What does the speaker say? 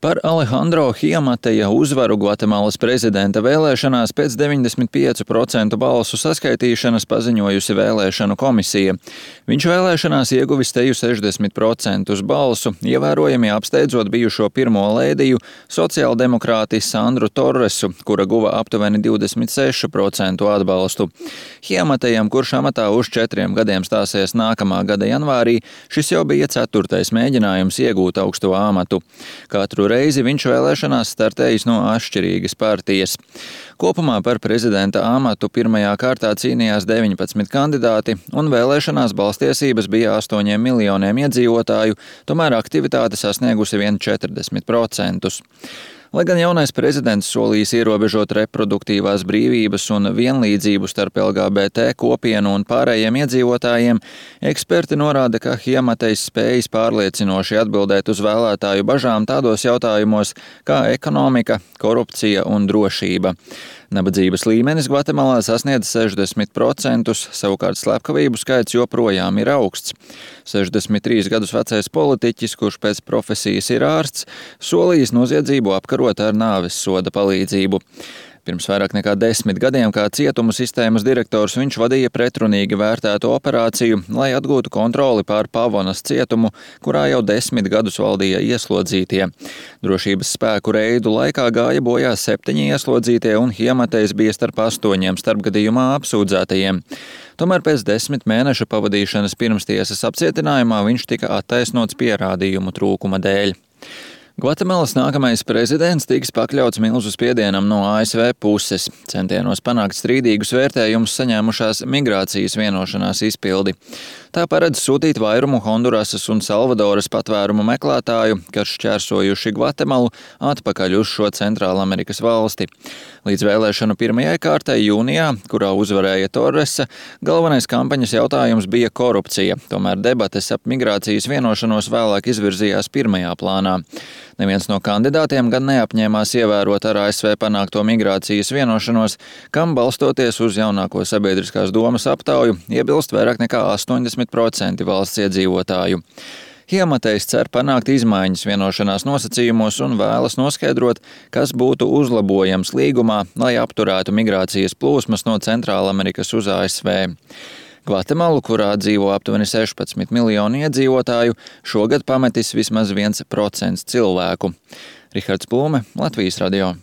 Par Alejandro Hiamateja uzvaru Gvatemalas prezidenta vēlēšanās pēc 95% balsu saskaitīšanas paziņojusi vēlēšanu komisija. Viņš vēlēšanās ieguvis teju 60% balsu, ievērojami apsteidzot bijušo pirmo lēdiju sociāldemokrāti Sandru Torresu, kura guva aptuveni 26% atbalstu. Hiamatejam, kurš amatā uz 4 gadiem stāsies nākamā gada janvārī, šis jau bija 4. mēģinājums iegūt augsto amatu. Katru reizi viņš vēlēšanās startējis no atšķirīgas partijas. Kopumā par prezidenta amatu pirmajā kārtā cīnījās 19 kandidāti, un vēlēšanās balstiesības bija 8 miljoniem iedzīvotāju, tomēr aktivitāte sasniegusi vien 40%. Lai gan jaunais prezidents solījis ierobežot reproduktīvās brīvības un vienlīdzību starp LGBT kopienu un pārējiem iedzīvotājiem, eksperti norāda, ka Hiamatejs spējis pārliecinoši atbildēt uz vēlētāju bažām tādos jautājumos kā ekonomika, korupcija un drošība. Nabadzības līmenis Gvatemalā sasniedz 60%, savukārt slepkavību skaits joprojām ir augsts. 63 gadus vecais politiķis, kurš pēc profesijas ir ārsts, solījis noziedzību apkarot ar nāves soda palīdzību. Pirms vairāk nekā 10 gadiem kā cietumu sistēmas direktors viņš vadīja pretrunīgi vērtētu operāciju, lai atgūtu kontroli pār Pavonas cietumu, kurā jau 10 gadus valdīja ieslodzītie. Drošības spēku reidu laikā gāja bojā 7 ieslodzītie, un Hiamatejs bija starp 8 starpgadījumā apsūdzētajiem. Tomēr pēc 10 mēnešu pavadīšanas pirmstiesas apcietinājumā viņš tika attaisnots pierādījumu trūkuma dēļ. Gvatemalas nākamais prezidents tiks pakļauts milzu spiedienam no ASV puses, centienos panākt strīdīgus vērtējumus saņēmušās migrācijas vienošanās izpildi. Tā paredz sūtīt vairumu Hondurasas un Salvadoras patvērumu meklētāju, kas šķērsojuši Gvatemalu, atpakaļ uz šo Centrālamerikas valsti. Līdz vēlēšanu pirmajai kārtai jūnijā, kurā uzvarēja Torresa, galvenais kampaņas jautājums bija korupcija, tomēr debates ap migrācijas vienošanos vēlāk izvirzījās pirmajā plānā. Neviens no kandidātiem gan neapņēmās ievērot ar ASV panākto migrācijas vienošanos, kam balstoties uz jaunāko sabiedriskās domas aptauju, iebilst vairāk nekā 80% valsts iedzīvotāju. Hiamatejs cer panākt izmaiņas vienošanās nosacījumos un vēlas noskaidrot, kas būtu uzlabojams līgumā, lai apturētu migrācijas plūsmas no Centrālamerikas uz ASV. Gvatemalu, kurā dzīvo aptuveni 16 miljoni iedzīvotāju, šogad pametis vismaz 1% cilvēku. Rihards Plūme, Latvijas radio.